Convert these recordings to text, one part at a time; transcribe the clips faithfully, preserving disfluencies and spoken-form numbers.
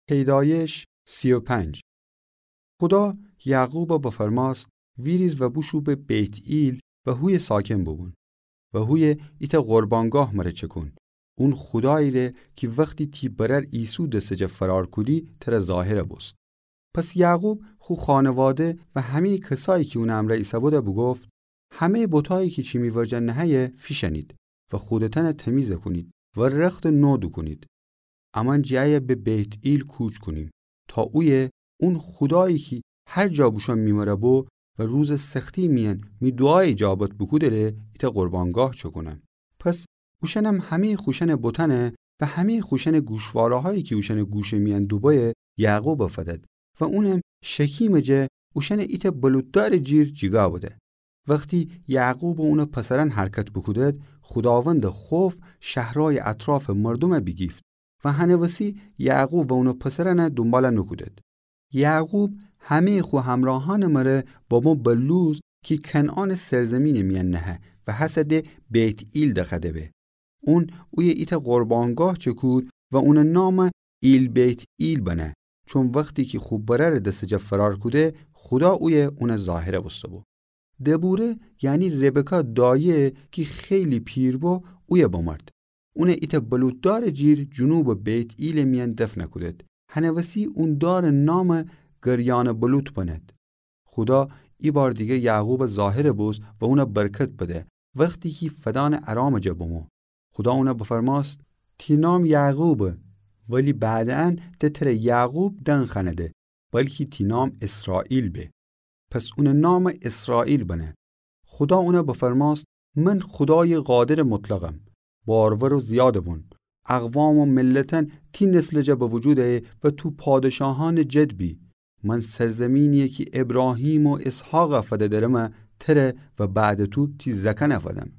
پیدایش سی و پنج. خودا یعقوبَ بفرماست: ویریز و بوشو به بیت‌ئیل و هویه ساکن بوبون و هویه ایتأ قربانگاه مره چکون، اون خودایی‌ره کی وختی تی برأر عیسو دسٚ جا فرار کودی تره ظاهر بوست. پس یعقوب خو خانواده و همه‌یٚ کسایی کی اونٚ امرأ ایسه‌بوده بوگفت: همه‌یٚ بتایی کی چی می ورجه نهه‌یه فیشأنید و خودتأنَ تمیز کونید و رختٚ نو دوکونید. امأن جٚه ایه به بیت‌ئیل کوچ کونیم تا اویه اون خودایی کی هر جا بوشوم می مره بو و روزٚ سختی میأن می دوعا ایجابت بوکوده‌ره ایتأ قربانگاه چکونم. پس اوشأنم همه‌یٚ خوشأنٚ بتأنَ و همه‌یٚ خوشأنٚ گوشواره‌هایی کی اوشأنٚ گوشٚ میأن دوبویه یعقوبَ فدد و اونم شکیمٚ جا اوشأنَ ایتأ بلوط‌دارٚ جیر جیگا بده. وختی یعقوب و اونٚ پسرأن حرکت بوکودد، خوداوندٚ خوف شهرأیٚ اطرافٚ مردومَ بیگیفت و هنٚ وسی یعقوب و اونٚ پسرأنَ دونبال نوکودد. یعقوب همه‌یٚ خو همرأهأنٚ مره بمو به لوز کی کنعانٚ سرزیمینٚ میأن نهه و هسه ده بیت‌ئیل دأخده به. اون اویه ایتأ قربانگاه چکود و اونٚ نام ایل‌بیت‌ئیل بنه، چون وختی کی خو برأرٚ دسٚ جا فرار کوده، خودا اویه اونَ ظاهر بوسته‌بو. دبوره، یعنی ربکا دایه کی خیلی پیر بو، اویه بمرد. اونَ ایتأ بلوط‌دارٚ جیر جنوبٚ بیت‌ئیلٚ میأن دفن کودد. هنٚ وسی اون دارٚ نام گریانٚ بلوط بند. خودا ایبار دیگر یعقوبَ ظاهر بوست و اونَ برکت بده، وختی کی فدانٚ ارامٚ جا بمو. خودا اونَ بفرماست: تی نام یعقوبه، ولی بعدأن ده تره یعقوب دنخأنده، بلکی تی نام اسرائیل به. پس اونٚ نام اسرائیل بنه. خودا اونَ بفرماست: من خودایٚ قادرٚ مطلقم. بارور و زیاد بون. اقوام و ملتأن تی نسلٚ جا به وجود ایه و تو پادشاهأنٚ جد بی. من سرزیمینی‌یه کی ابراهیم و اسحاقَ فده درمه، تره و بعدٚ تو تی زأکأنَ فدم.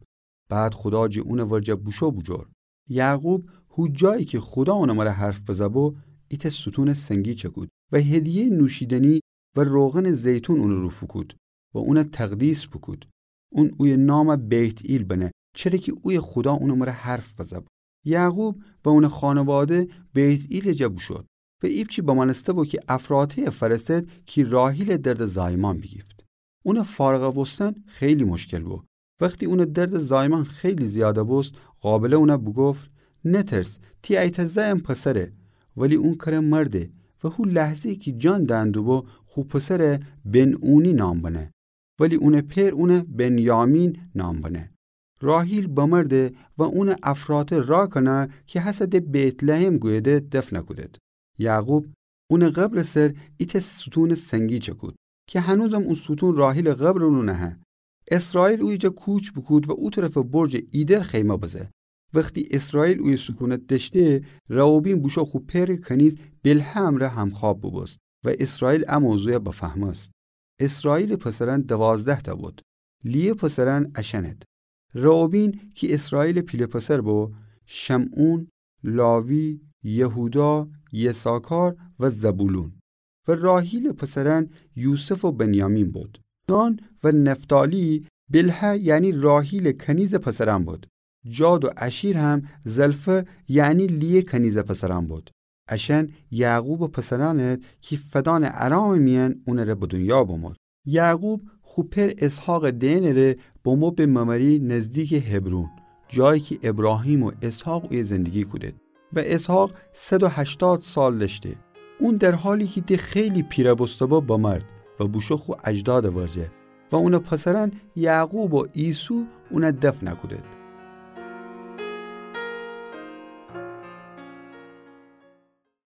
بعد خودا جٚه اونٚ ورجه بوشو بوجور. یعقوب هو جایی کی خودا اونٚ مره حرف بزه‌بو، ایتأ ستونٚ سنگی چکود و هدیه‌یٚ نوشیدنی و روغنٚ زیتون اونٚ رو فوکود و اونَ تقدیس بوکود. اون اویه نام بیت‌ئیل بنه، چره کی اویه خودا اونٚ مره حرف بزه‌بو. یعقوب و اونٚ خانواده بیت‌ئیلٚ جا بوشود و ایپچی بمأنسته‌بو کی افراطه‌یَ فرستد کی راحیلٚ دردٚ زایمان بیگیفت. اونٚ فارغ بوستن خیلی مشکل بو. وختی اونٚ دردٚ زایمان خیلی زیاد بوست، قابله اونَ بوگفت: نترس، تی ایتأ زأیم پسره. ولی اون کره مرده و هو لحظه‌یی کی جان دأن دوبو، خو پسرَ بن‌اونی نام بنه. ولی اونٚ پئر اونَ بنیامین نام بنه. راحیل بمرده و اونَ افراطه راکنا کی هسه ده بیت‌لحم گویده دفن کودد. یعقوب اونٚ قبرٚ سر ایتأ ستونٚ سنگی چکود کی هنوزم او ستون راحیلٚ قبرٚ رو نهه. اسرائیل اویه جا کوچ بوکود و او طرفٚ برجٚ ایدر خیمه بزه. وختی اسرائیل اویه سکونت دأشته، رئوبین بوشو خو پئرٚ کنیز بلهه امرأ همخواب بوبوست و اسرائیل ا موضوعَ بفهمست. اسرائیلٚ پسرأن دوازده‌تأ بود. لیه پسرأن اشأنت: رئوبین کی اسرائیلٚ پیله پسر بو، شمعون، لاوی، یهودا، یساکار و زبولون. و راحیلٚ پسرأن یوسف و بنیامین بود. دان و نفتالی بلهه یعنی راحیلٚ کنیزٚ پسرأن بود. جاد و اشیر هم زلفه یعنی لیه کنیزٚ پسرأن بود. اشأن یعقوبٚ پسرأنت کی فدانٚ ارامٚ میأن اونٚره به دونیا بمود. یعقوب خو پئر اسحاقٚ دئنٚره بمو به ممری نزدیکٚ حبرون، جایی کی ابراهیم و اسحاق اویه زندگی کودید. و اسحاق صد و هشتاد سال دأشته. اون در حالی کی ده خیلی پیره بوسته‌بو بمرد و بوشو خو اجدادٚ ورجه و اونٚ پسرأن یعقوب و عیسو اونَ دفن کودید.